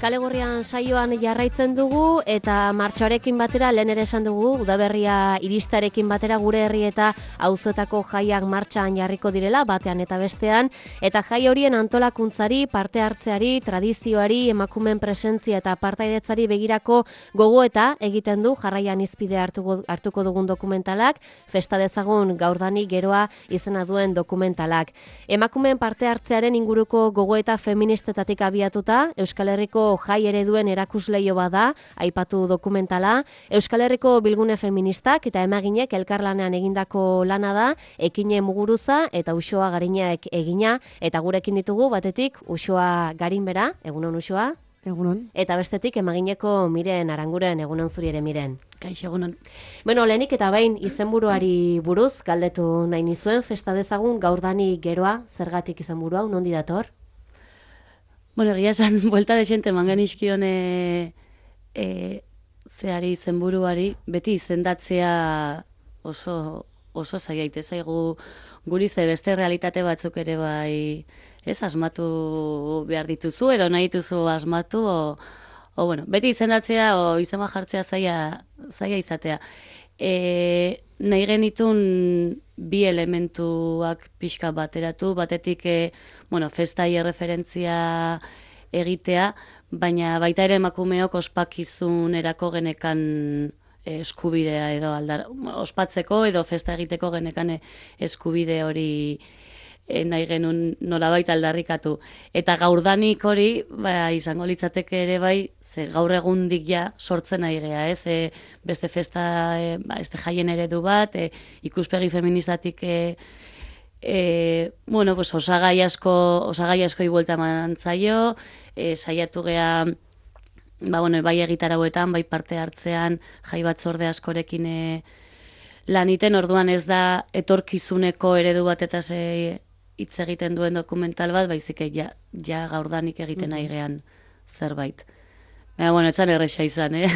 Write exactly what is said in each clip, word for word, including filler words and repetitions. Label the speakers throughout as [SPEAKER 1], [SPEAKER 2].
[SPEAKER 1] Kale Gorrian saioan jarraitzen dugu eta martxoarekin batera lehen ere esan dugu udaberria iristarekin batera gure herri eta auzoetako jaiak martxan jarriko direla batean eta bestean eta jai horien antolakuntzari, parte hartzeari, tradizioari, emakumeen presentzia eta partaidetzari begirako gogoeta egiten du jarraian izpide hartuko, hartuko dugun dokumentalak, Festa dezagun gaurdanik geroa izena duen dokumentalak. Emakumeen parte hartzearen inguruko gogoeta feministetatik abiatuta, Euskal Herriko jai ereduen erakusleio bada, aipatu dokumentala, Euskal Herriko bilgune feministak eta emaginek elkarlanean egindako lana da, Ekine Muguruza eta Uxoa Garinak egina, eta gurekin ditugu batetik Uxoa Garinbera, egunon Uxoa?
[SPEAKER 2] Egunon.
[SPEAKER 1] Eta bestetik emagineko Miren Aranguren, egunon zuri ere Miren.
[SPEAKER 2] Kaixo, egunon.
[SPEAKER 1] Bueno, lehenik eta bain izenburuari buruz, galdetu nahi nizuen, Festa dezagun gaurdanik geroa, zergatik izenburua, nondi dator?
[SPEAKER 2] Bueno, egia esan, buelta desente mangan izkion e, e, zeari izenburuari, beti izendatzea oso, oso zaiaite zaigu guri ze beste realitate batzuk ere bai, ez asmatu behar dituzu, edo nahi dituzu asmatu, o, o bueno, beti izendatzea o izema jartzea zaila, zaila izatea. E, nahi genitun bi elementuak pixka bateratu, batetik e, bueno, festai erreferentzia egitea, baina baita ere emakumeok ospakizunerako genekan eskubidea edo aldar, ospatzeko edo festa egiteko genekan eskubide hori e, nahi genuen nolabait aldarrikatu. Eta gaurdanik hori ba, izango litzateke ere bai, ze gaur egundik ja sortzen nahi gea, ez? E, beste festa, e, ba, este jaien eredu bat, e, ikuspegi feministatik e, e, bueno, pues, osagai asko, osagai asko iguelta eman zaio, e, saiatu gea ba, bueno, bai egitarauetan, bai parte hartzean, jai batzorde askorekin e, laniten, orduan ez da etorkizuneko eredu bat eta ze hitz egiten duen dokumental bat, baizik ja, ja gaurdanik egiten nahi gean zerbait. Baina, bueno, etzan erresa izan, eh?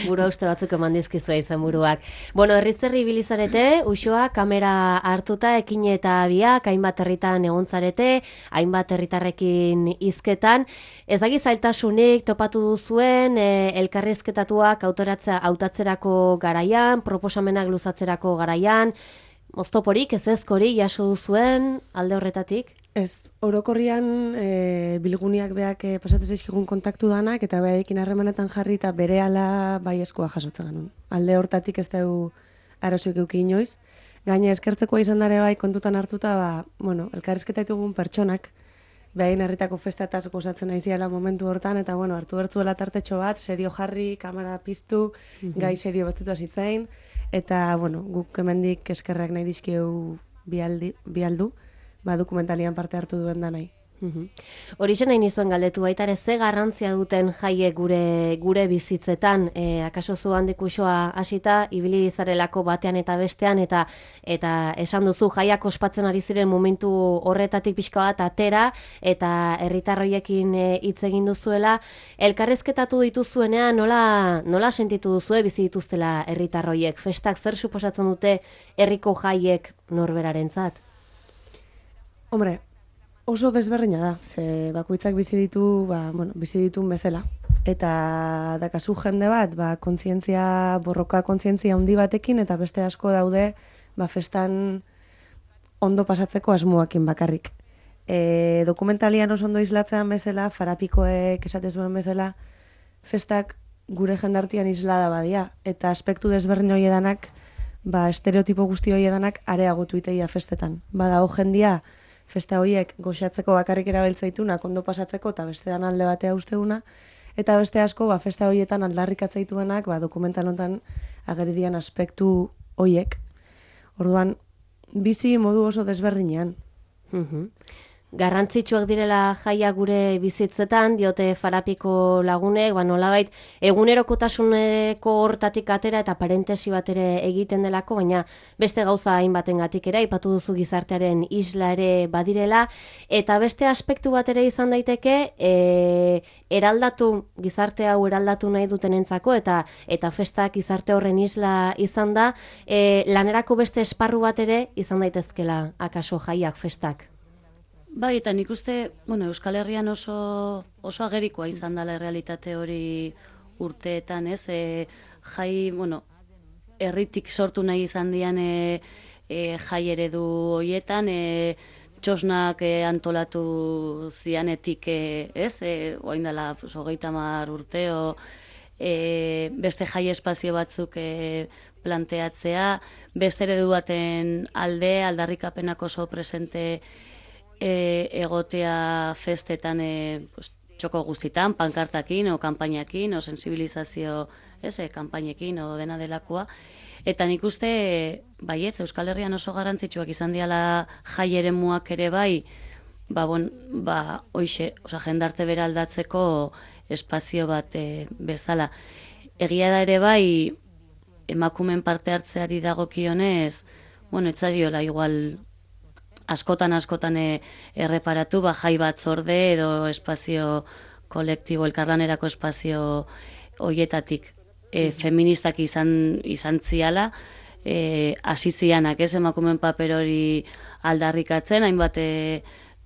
[SPEAKER 1] Buru uste batzuk eman dizkizua izan buruak. Bueno, herriz herri bilizarete, Uxoa kamera hartuta ekine eta biak, hainbat herritan egontzarete, hainbat herritarrekin hizketan. Ez agi zailtasunik topatu duzuen, e, elkarrizketatuak autoratzea hautatzerako garaian, proposamenak luzatzerako garaian, oztoporik, ez ezkori, jaso duzuen alde horretatik?
[SPEAKER 2] Ez, orokorrian e, bilguniak beak e, pasatzen zaizkigun kontaktu danak, eta behaekin harremanetan jarri eta berehala bai eskua jasotzen genuen. Alde hortatik ez dugu arazoik euki inoiz. Gaina eskertzekoa izan dare bai kontutan hartuta, ba, bueno, elkarrizketa ditugun pertsonak, behain herritako festetaz gozatzen aiziala momentu hortan, eta bueno, hartu bertzuela tartetxo bat, serio jarri, kamera piztu, mm-hmm. gai serio batzuta zitzain, eta bueno, guk hemendik eskerrak nahi dizkieu bialdi, bialdu, ba, dokumentalian parte hartu duen da nahi.
[SPEAKER 1] Uhum. Horixe nahi nizuen galdetu baita ere ze garrantzia duten jaiek gure gure bizitzetan, e, akaso zu handik Uxoa hasita ibili zarelako batean eta bestean eta eta esan duzu jaiak ospatzen ari ziren momentu horretatik pixka bat atera eta herritarroiekin hitz e, egin duzuela, elkarrizketatu dituzuenean nola nola sentitu duzue bizi dituztela herritarroiek, festak zer suposatzen dute herriko jaiek norberarentzat?
[SPEAKER 2] Hombre, oso desberdina da, ze bakoitzak bizi ditu, ba, bueno, bizi ditun bezala. Eta dakazu jende bat, ba, kontzientzia, borroka kontzientzia handi batekin, eta beste asko daude, ba, festan ondo pasatzeko asmoakin bakarrik. E, dokumentalian oso ondo islatzean bezala, farapikoek esatez zuen bezala, festak gure jendartian islada badia, eta aspektu desberdin horiedanak, ba, estereotipo guzti horiedanak areagotu iteia festetan. Bada, ho jendia, festa horiek goxatzeko bakarrik erabiltzaitunak ondo pasatzeko eta bestean alde batea usteuna, eta beste asko ba, festa horietan aldarrikatzaituenak ba, dokumental honetan ageridian aspektu horiek. Orduan, bizi modu oso desberdinean.
[SPEAKER 1] Mhm. Garrantzitsuak direla jaia gure bizitzetan, diote farapiko lagunek, ba nolabait egunerokotasuneko hortatik atera eta parentesi bat ere egiten delako, baina beste gauza hainbatengatik ere aipatu duzu gizartearen isla ere badirela, eta beste aspektu bat ere izan daiteke, e, eraldatu gizarte hau eraldatu nahi dutenentzako eta eta festak gizarte horren isla izan da, e, lanerako beste esparru bat ere izan daitezkela akaso jaiak festak.
[SPEAKER 2] Bai, eta nik uste, bueno, Euskal Herrian oso, oso agerikoa izan dela realitate hori urteetan, ez? E, jai, bueno, herritik sortu nahi izan dian e, e, jai eredu hoietan, e, txosnak e, antolatu zianetik, e, ez? E, oain dela, pues, hogeita hamar urteo, e, beste jai espazio batzuk e, planteatzea, beste eredu baten alde, aldarrikapenak oso presente e, egotea festetan, e, pues, txoko guztitan, pankartakin, o kanpainakin, o sensibilizazio, ez, e, kanpainekin, o dena delakoa. Eta nik uste, baietz, Euskal Herrian oso garrantzitsuak izan diala jai eremuak ere bai, ba, bon, ba, oixe, oza, jendarte bera aldatzeko espazio bat e, bezala. Egia da ere bai, emakumen parte hartzeari dagokionez, bueno, etzariola igual askotan askotan e, erreparatu, ba, jai batzorde edo espazio kolektibo, elkarlanerako espazio hoietatik e, feministak izan, izan ziala, e, hasi zianak, ez, emakumen paper hori aldarrikatzen, hainbat e,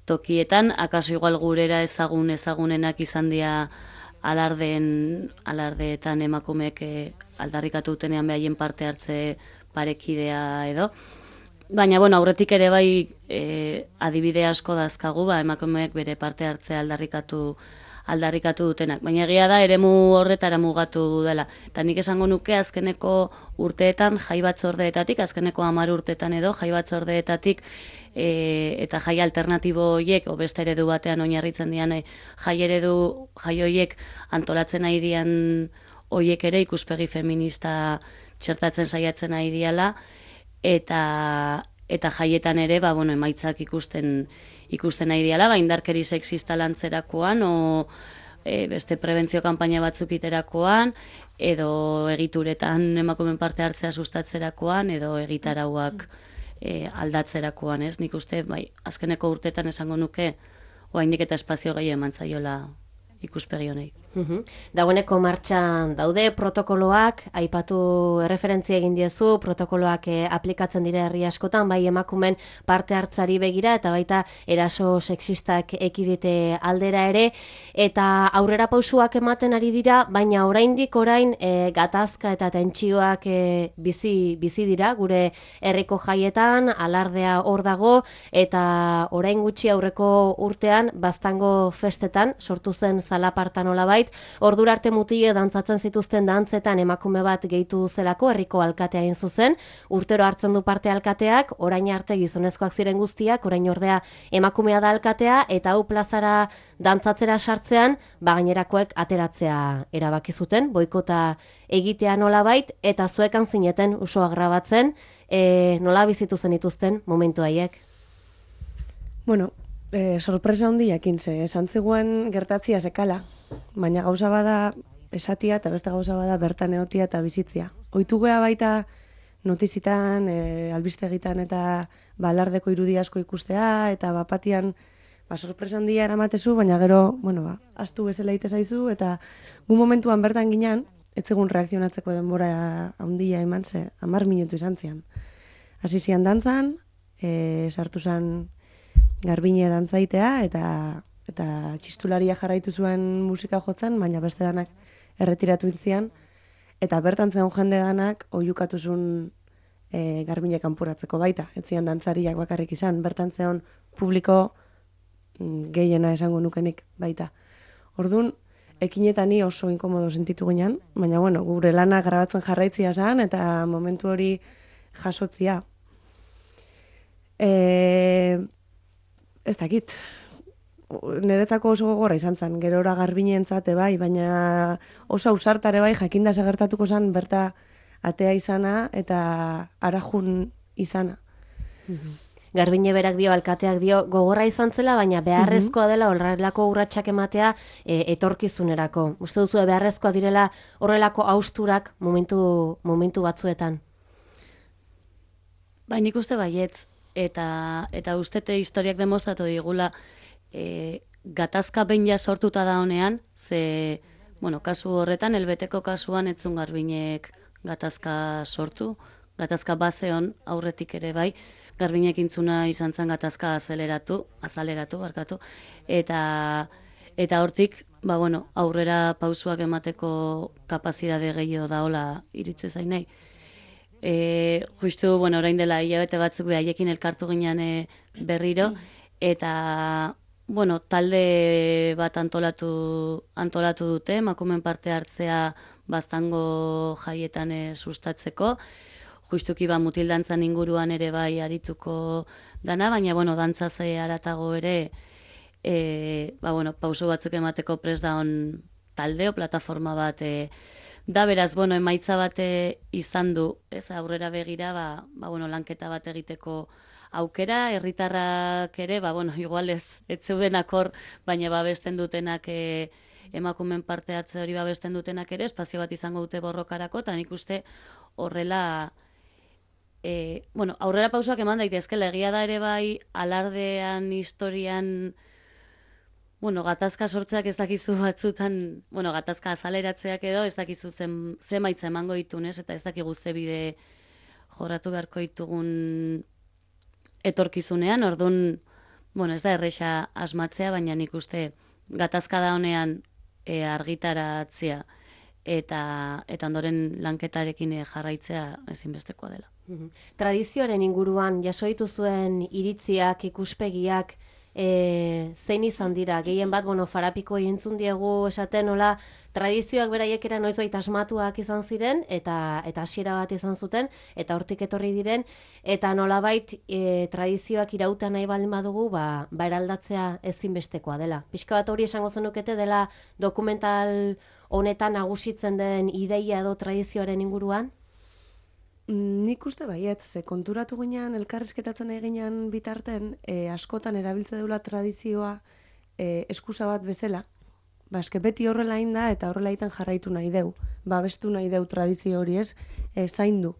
[SPEAKER 2] tokietan, akaso igual gurera ezagun ezagunenak izan dira alardeen, alardeetan emakumeek e, aldarrikatu dutenean behaien parte hartze parekidea edo. Baina, bueno, aurretik ere bai e, adibide asko dazkagu, ba, emakumeek bere parte hartzea aldarrikatu aldarrikatu dutenak. Baina egia da, eremu horretara mugatu dela. Eta nik esango nuke azkeneko urteetan, jai batzordeetatik, azkeneko hamar urteetan edo, jai batzordeetatik, e, eta jai alternatibo horiek, o beste eredu batean oinarritzen dian, e, jai eredu, jai horiek antolatzen nahi dian horiek ere ikuspegi feminista txertatzen saiatzen nahi diala, eta eta jaietan ere, ba, bueno, emaitzak ikusten ikusten nahi diala, ba, indarkeri sexista lantzerakoan, o e, beste prebentzio kanpaina batzuk iterakoan, edo egituretan emakumen parte hartzea sustatzerakoan, edo egitarauak e, aldatzerakoan, ez? Nik uste, bai, azkeneko urteetan esango nuke, oraindik eta espazio gehi eman zaiola ikuspegi honei.
[SPEAKER 1] Uhum. Dagoeneko martxan daude protokoloak, aipatu erreferentzia egin diezu, protokoloak eh, aplikatzen dira herri askotan, bai emakumen parte hartzari begira, eta baita eraso sexistak ekidite aldera ere, eta aurrera pausuak ematen ari dira, baina oraindik orain eh, gatazka eta tentsioak eh, bizi, bizi dira, gure herriko jaietan, alardea hor dago, eta orain gutxi aurreko urtean, Baztango festetan, sortu zen zalapartan olabait, ordura arte mutile dantzatzen zituzten dantzetan emakume bat gehitu zelako herriko alkatea egin zuzen, urtero hartzen du parte alkateak, orain arte gizonezkoak ziren guztiak, orain ordea emakumea da alkatea, eta hau plazara dantzatzera sartzean, ba gainerakoek ateratzea erabaki zuten, boikota egitea nolabait, eta zuekan zineten usoa grabatzen, e, nola bizitu zen dituzten momentu haiek?
[SPEAKER 3] Bueno, e, sorpresa handiakin ze, esan zegoen gertatzia sekala, baina gauza bada esatia eta beste gauza bada bertan egotia eta bizitzia. Ohitu gea baita notizitan, e, albistegitan eta balardeko irudi asko ikustea, eta bapatian ba, sorpresa handia eramatezu, baina gero, bueno, ba, astu bezala ite zaizu, eta gu momentuan bertan ginean, etzegun reakzionatzeko denbora handia eman ze, hamar minutu izan zian. Hasi zian dantzan, e, sartu zan Garbine dantzaitea, eta eta txistularia jarraitu zuen musika jotzen, baina beste danak erretiratu intzian, eta bertan zen jende danak oiukatu zuen e, Garbine kanporatzeko baita, etzian dantzariak bakarrik izan, bertan zen publiko mm, gehiena esango nukenik baita. Orduan, ekinetan ni oso inkomodo sentitu ginen, baina bueno, gure lana grabatzen jarraitzia zen, eta momentu hori jasotzia. E, ez dakit, niretzako oso gogorra izan zen, gerora Garbineentzat bai, baina oso ausartare bai, jakinda segertatuko zen berta atea izana eta arajun izana.
[SPEAKER 1] Mhm. Garbine berak dio, alkateak dio, gogorra izan zela, baina beharrezkoa dela horrelako urratsak ematea e, etorkizunerako. Uste duzu beharrezkoa direla horrelako hausturak momentu, momentu batzuetan?
[SPEAKER 2] Bai, nik uste baietz, eta, eta ustete historiak demostratu digula, E, gatazka behin ja sortuta da honean, ze, bueno, kasu horretan, elbeteko kasuan etzun Garbinek gatazka sortu, gatazka bazeon aurretik ere bai, Garbiñek intzuna izan zen gatazka azeleratu, azaleratu, barkatu, eta eta hortik, ba, bueno, aurrera pausuak emateko kapazidade gehiago daola iritze zainei. E, justu, bueno, orain dela hilabete batzuk haiekin elkartu ginen e, berriro, eta, bueno, talde bat antolatu, antolatu dute, emakumeen parte hartzea baztango jaietan e, sustatzeko, justuki ba mutildantzan inguruan ere bai arituko dana, baina, bueno, dantzaz haratago ere, e, ba, bueno, pauso batzuk emateko prest daun talde o plataforma bat e, da, beraz, bueno, emaitza bate izan du, ez, aurrera begira, ba, ba, bueno, lanketa bat egiteko aukera, herritarrak ere, ba, bueno, igual ez, ez zeudenak hor, baina babesten dutenak e, emakumen parte hartze hori babesten dutenak ere, espazio bat izango dute borrokarako, eta nik uste horrela, e, bueno, aurrera pausoak eman daitezkela, egia da ere bai, alardean, historian, bueno, gatazka sortzeak ez dakizu batzutan, bueno, gatazka azaleratzeak edo, ez dakizu zen, zemaitza emango ditunez, eta ez dakigu ze bide jorratu beharko ditugun etorkizunean, orduan, bueno, ez da erresa asmatzea, baina nik uste gatazka da honean e, argitaratzea eta, eta ondoren lanketarekin e, jarraitzea ezinbestekoa dela.
[SPEAKER 1] Tradizioaren inguruan, jasoitu zuen iritziak, ikuspegiak, E, zein izan dira, gehien bat, bueno, Farapiko entzun diegu esaten, nola, tradizioak beraiek era noizbait asmatuak izan ziren, eta eta hasiera bat izan zuten, eta hortik etorri diren, eta nolabait e, tradizioak irauta nahi baldin badugu, ba, ba eraldatzea ezinbestekoa dela. Pixka bat hori esango zenukete dela dokumental honetan nagusitzen den ideia edo tradizioaren inguruan?
[SPEAKER 3] Nik uste baiet, ze konturatu ginean, elkarrizketatzen eginean bitarten, e, askotan erabiltze deula tradizioa e, eskusa bat bezala. Ba, eske beti horrela hain da eta horrela egiten jarraitu nahi deu. Babestu nahi deu tradizio hori ez, e, zaindu.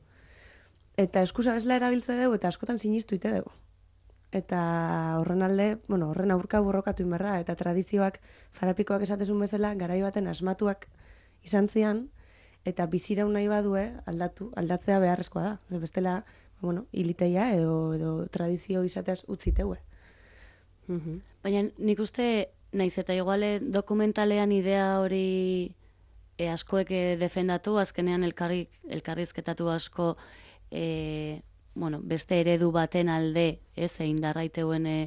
[SPEAKER 3] Eta eskusa bezala erabiltze deu eta askotan sinistu ite deu. Eta horren alde, bueno, horren aurka borrokatu inberda, eta tradizioak Farapikoak esatezun bezala, garai baten asmatuak izan zian, eta biziraun nahi badue aldatu, aldatzea beharrezkoa da. Zer bestela, bueno, hiliteia edo, edo tradizio izateaz utziteue.
[SPEAKER 2] Mm-hmm. Baina nik uste, naiz eta iguale dokumentalean idea hori e, askoek e, defendatu, azkenean elkarri, elkarrizketatu asko e, bueno, beste eredu baten alde, ez, egin darraiteuen e,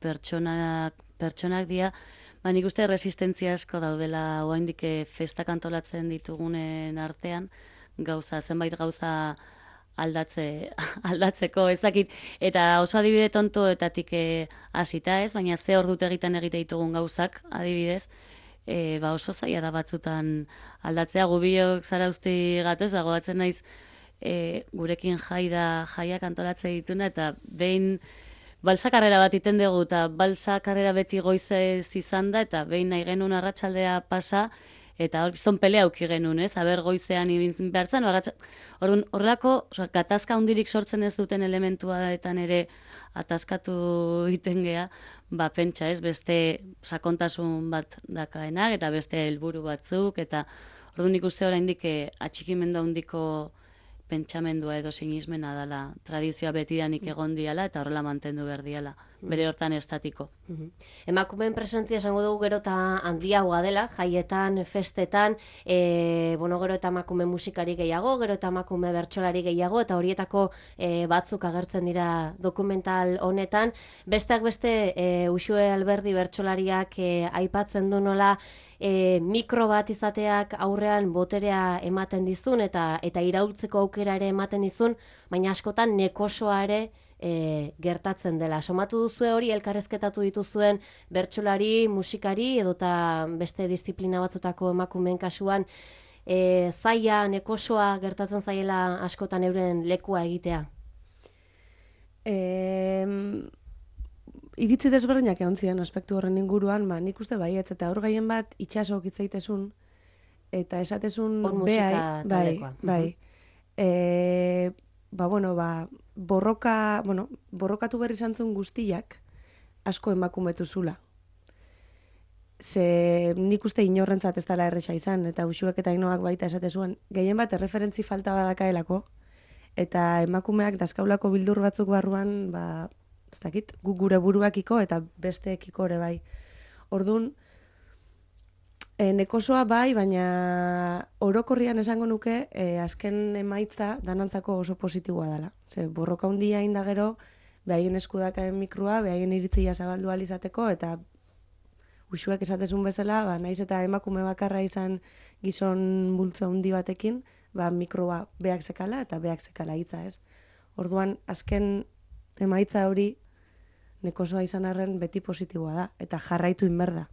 [SPEAKER 2] pertsonak, pertsonak dia, ba, nik uste resistentzia asko daudela oraindik festak antolatzen ditugunen artean, gauza, zenbait gauza aldatze, aldatzeko, ez dakit, eta oso adibide tontoetatik hasita ez, baina ze ordut egiten egite ditugun gauzak, adibidez, e, ba oso zaila da batzutan aldatzea, gubiok zarauzti gatoz, dagoatzen naiz e, gurekin jai da jaiak antolatzen dituna, eta behin balsa karrera bat iten dugu, eta balsa karrera beti goizez izan da, eta behin nahi genuen arratsaldea pasa, eta hor gizton pelea auki genuen, ez? Aber goizean ibintzen behartzen, horrelako gatazka hundirik sortzen ez duten elementuaetan ere ataskatu egiten gea, ba pentsa, ez? Beste sakontasun bat dakaenak, eta beste helburu batzuk, eta orduan nik uste oraindik atxikimendu handiko pentsamendua edo sinismena dela, tradizioa betidanik egon diala eta horrela mantendu behar diala, bere hortan estatiko.
[SPEAKER 1] Emakumeen presentzia esango dugu gero eta handiagoa dela, jaietan, festetan, e, bueno, gero eta emakume musikari gehiago, gero eta emakume bertsolari gehiago, eta horietako e, batzuk agertzen dira dokumental honetan. Besteak beste, e, Uxue Alberdi bertsolariak e, aipatzen du nola, E, mikro bat izateak aurrean boterea ematen dizun eta eta iraultzeko aukera ere ematen dizun, baina askotan nekosoa ere e, gertatzen dela. Somatu duzue hori, elkarrezketatu dituzuen bertsolari, musikari edota beste disiplina batzutako emakumeen kasuan, e, zaila, nekosoa gertatzen zaiela askotan euren lekua egitea?
[SPEAKER 3] Eee... Iritzi desberdinak egon ziren aspektu horren inguruan, ba, nik uste baietz, eta hor gaien bat itxasok hitzaitezun, eta esatezun behai, bai, bai. E, ba, bueno, ba, borroka, bueno, borrokatu berri zantzun guztiak asko emakumetu zula. Ze nik uste inorrentzat ez dela erresa izan, eta Uxuek eta Ainoak baita esatezuen, gehien bat erreferentzi falta badakaelako, eta emakumeak daskaulako bildur batzuk barruan, ba, ez dakit, gu gure buruakiko eta besteekiko ere bai. Orduan, e, nekosoa bai, baina orokorrian esango nuke, e, azken emaitza danantzako oso positiboa dela. Ze, borroka hundia inda gero, behaien eskudakaen mikroa, behaien iritzia zabaldu alizateko, eta usuak esatezun bezala, ba, naiz eta emakume bakarra izan gizon bultza hundi batekin, ba, mikroa beak zekala eta beak zekala hitza, ez? Orduan, azken emaitza hori nekosoa izan arren beti positiboa da, eta jarraitu inberda.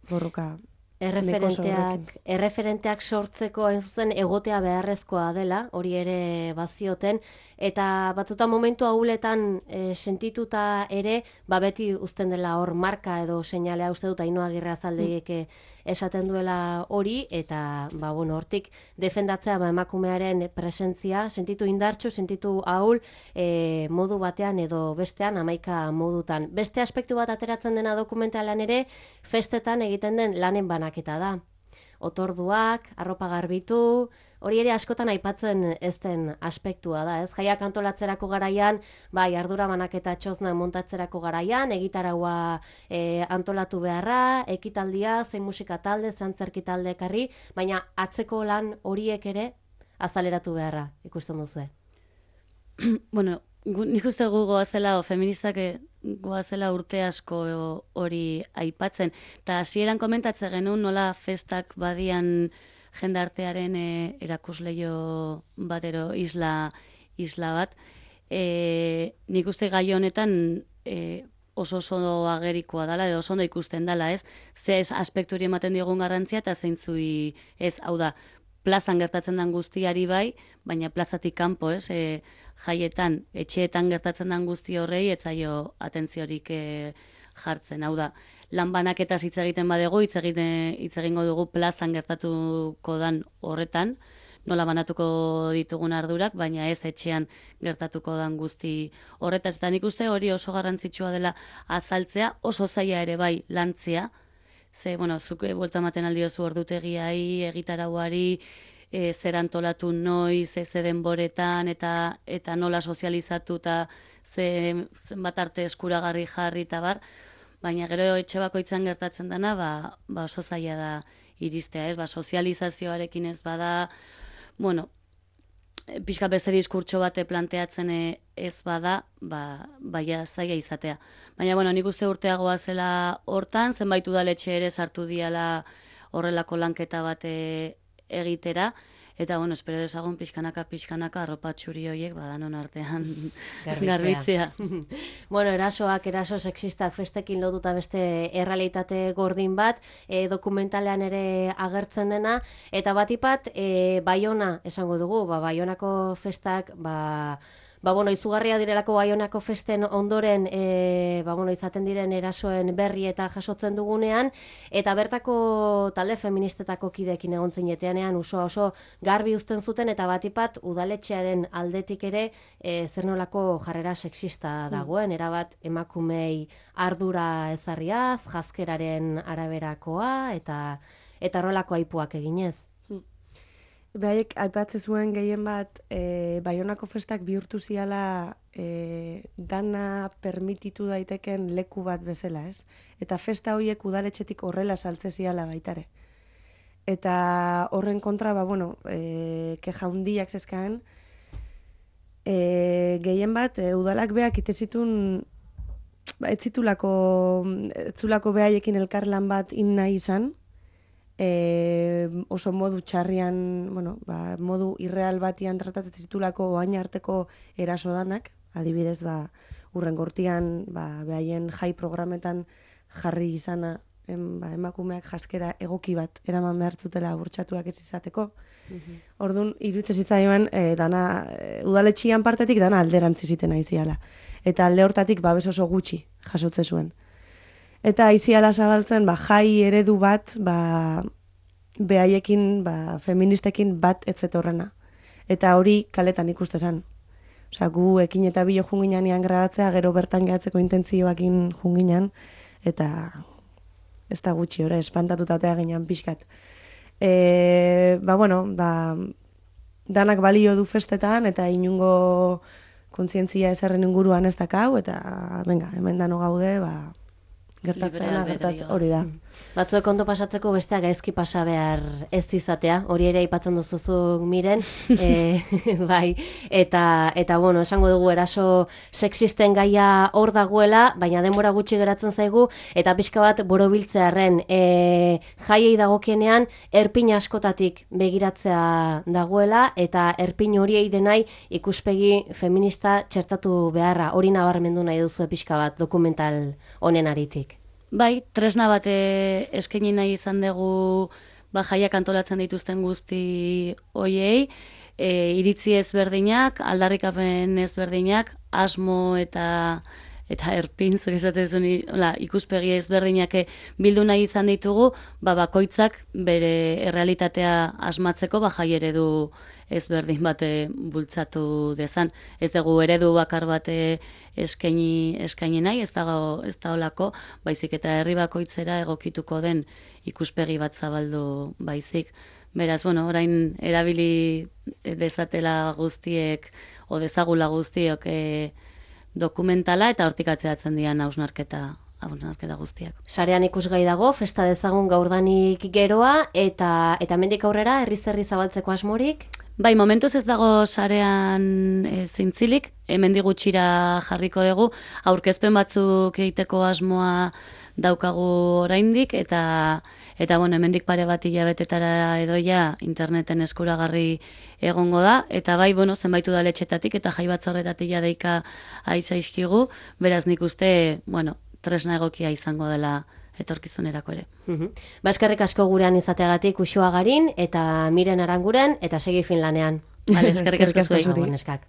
[SPEAKER 3] Borroka
[SPEAKER 1] Erreferenteak, erreferenteak sortzeko hain zuzen egotea beharrezkoa dela, hori ere bazioten, eta batzutan momentu hauletan e, sentituta ere, ba beti uzten dela hor marka edo seinalea uste dut Ainhoa Agirre Azaldegiek esaten duela hori, eta ba, bueno, hortik defendatzea ba, emakumearen presentzia, sentitu indartsu, sentitu ahul, e, modu batean edo bestean, hamaika modutan. Beste aspektu bat ateratzen dena dokumentalan ere, festetan egiten den lanen banaketa da. Otorduak, arropa garbitu, hori ere askotan aipatzen ez den aspektua da, ez? Jaiak antolatzerako garaian, bai, ardura banaketa txozna montatzerako garaian, egitaraua e, antolatu beharra, ekitaldia, zein musika talde, zein zerki talde ekarri, baina atzeko lan horiek ere azaleratu beharra, ikusten duzue.
[SPEAKER 2] Bueno, nik uste gu goazela, o feministak goazela urte asko hori aipatzen. Eta hasieran komentatzen genuen nola festak badian jendartearen e, erakusleio batero isla, isla bat. E, nik uste gai honetan e, oso oso agerikoa dela, edo oso ondo ikusten dela, ez? Ze aspekturi ematen diogun garrantzia eta zeintzui ez, hau da, plazan gertatzen den guztiari bai, baina plazatik kanpo, ez, e, jaietan, etxeetan gertatzen den guzti horrei, etzaio atentziorik e, jartzen, hau da, lan banaketaz hitz egiten badegu, hitz egingo dugu plazan gertatuko dan horretan, nola banatuko ditugun ardurak, baina ez etxean gertatuko dan guzti horretaz. Eta nik uste hori oso garrantzitsua dela azaltzea, oso zaila ere bai lantzea, ze, bueno, zuke buelta ematen aldiozu ordutegiai, egitarauari, e, zer antolatu noiz, ze denboretan, eta eta nola sozializatu, eta ze, zenbat arte eskuragarri jarri, eta bar, baina gero etxe bakoitzan gertatzen dena, ba, ba oso zaila da iristea, ez? Ba, sozializazioarekin ez bada, bueno, pixka beste diskurtso bate planteatzen ez bada, ba, baia zaila izatea. Baina, bueno, nik uste urteagoa zela hortan, zenbait udaletxe ere sartu diala horrelako lanketa bate egitera, eta, bueno, espero dezagun pixkanaka, pixkanaka, arropa txuri horiek, badanon artean garbitzea.
[SPEAKER 1] Bueno, erasoak, eraso sexistak festekin lotuta beste errealitate gordin bat, e, dokumentalean ere agertzen dena, eta batipat, e, Baiona esango dugu, ba, Baionako festak, ba, ba, bueno, izugarria direlako Baionako festen ondoren, e, ba, bueno, izaten diren erasoen berri eta jasotzen dugunean, eta bertako talde feministetako kidekin egon zineteanean oso oso garbi uzten zuten, eta batipat udaletxearen aldetik ere e, zer nolako jarrera sexista dagoen, erabat emakumei ardura ezarriaz, jazkeraren araberakoa, eta eta horrelako aipuak eginez.
[SPEAKER 3] Behaiek aipatzen zuen gehien bat, e, Baionako festak bihurtu ziala e, dana permititu daiteken leku bat bezala, ez? Eta festa horiek udaletxetik horrela saltze ziala baitare. Eta horren kontra, ba, bueno, e, keja hundiak zezkaan, e, gehien bat, e, udalak beak itezitun, ba, ez zitulako, ez zulako behaiekin elkarlan bat in nahi izan, E, oso modu txarrian, bueno, ba, modu irreal batian tratatzen zitulako oain arteko eraso danak, adibidez, ba, urren gortian, ba, behaien jai programetan jarri izana, em, ba, emakumeak jaskera egoki bat eraman behar zutela burtsatuak ez izateko. Mm-hmm. Orduan, iruditzen zitzaiman, e, dana, e, udaletxian partetik dana alderantzi ziten aiziala. Eta alde hortatik babes oso gutxi jasotze zuen. Eta aiziala zabaltzen, ba, jai eredu bat, ba, behaiekin, ba, feministekin bat etzetorrena. Eta hori kaletan ikuste zen. Osea, gu ekin eta bilo junginan grabatzea, gero bertan gehatzeko intentzioakin junginan, eta ez da gutxi, ora, espantatuta ginen pixkat. E, ba, bueno, ba, danak balio du festetan, eta inungo kontzientzia ezarren inguruan ez dakau, eta venga, hemen dano gaude, ba, gertatzen gertatzen hori da.
[SPEAKER 1] Batzuek ondo pasatzeko besteak gaizki pasa behar ez izatea, hori ere aipatzen duzuzu Miren, e, bai, eta, eta bueno, esango dugu eraso sexisten gaia hor dagoela, baina denbora gutxi geratzen zaigu, eta pixka bat borobiltzearren, e, jaiei dagokienean erpin askotatik begiratzea dagoela, eta erpin horiei denai ikuspegi feminista txertatu beharra, hori nabarmendu nahi duzu pixka bat dokumental honen aritik.
[SPEAKER 2] Bai, tresna bat eskaini nahi izan dugu ba, jaiak antolatzen dituzten guzti hoiei, e, iritzi ezberdinak, aldarrikapen ezberdinak, asmo eta eta erpin, zuri zatezun, ikuspegi ezberdinak bildu nahi izan ditugu, ba, bakoitzak bere errealitatea asmatzeko ba, jai eredu ezberdin bate bultzatu dezan. Ez dugu eredu bakar bate eskaini, eskaini nahi, ez da, ez da olako, baizik eta herri bakoitzera egokituko den ikuspegi bat zabaldu baizik. Beraz, bueno, orain erabili dezatela guztiek, o dezagula guztiok e, dokumentala eta hortik atzeatzen dian hausnarketa hausnarketa guztiak.
[SPEAKER 1] Sarean ikusgai dago, festa dezagun gaurdanik geroa, eta eta hemendik aurrera herriz herri zabaltzeko asmorik?
[SPEAKER 2] Bai, momentuz ez dago sarean e, zintzilik, hemendik gutxira jarriko dugu, aurkezpen batzuk egiteko asmoa daukagu oraindik, eta eta bueno, hemendik pare bat hilabetetara edoia interneten eskuragarri egongo da, eta bai, bueno, zenbait udaletxetatik eta jai batzordetatik ja deika aitzaizkigu, beraz nik uste, bueno, tresna egokia izango dela etorkizunerako ere.
[SPEAKER 1] Uh-huh. Baskarrik asko gurean izateagatik Uxoagarin eta Miren Aranguren eta segi Finlanean.
[SPEAKER 2] Vale, eskerrik asko zuri.
[SPEAKER 1] Neskak.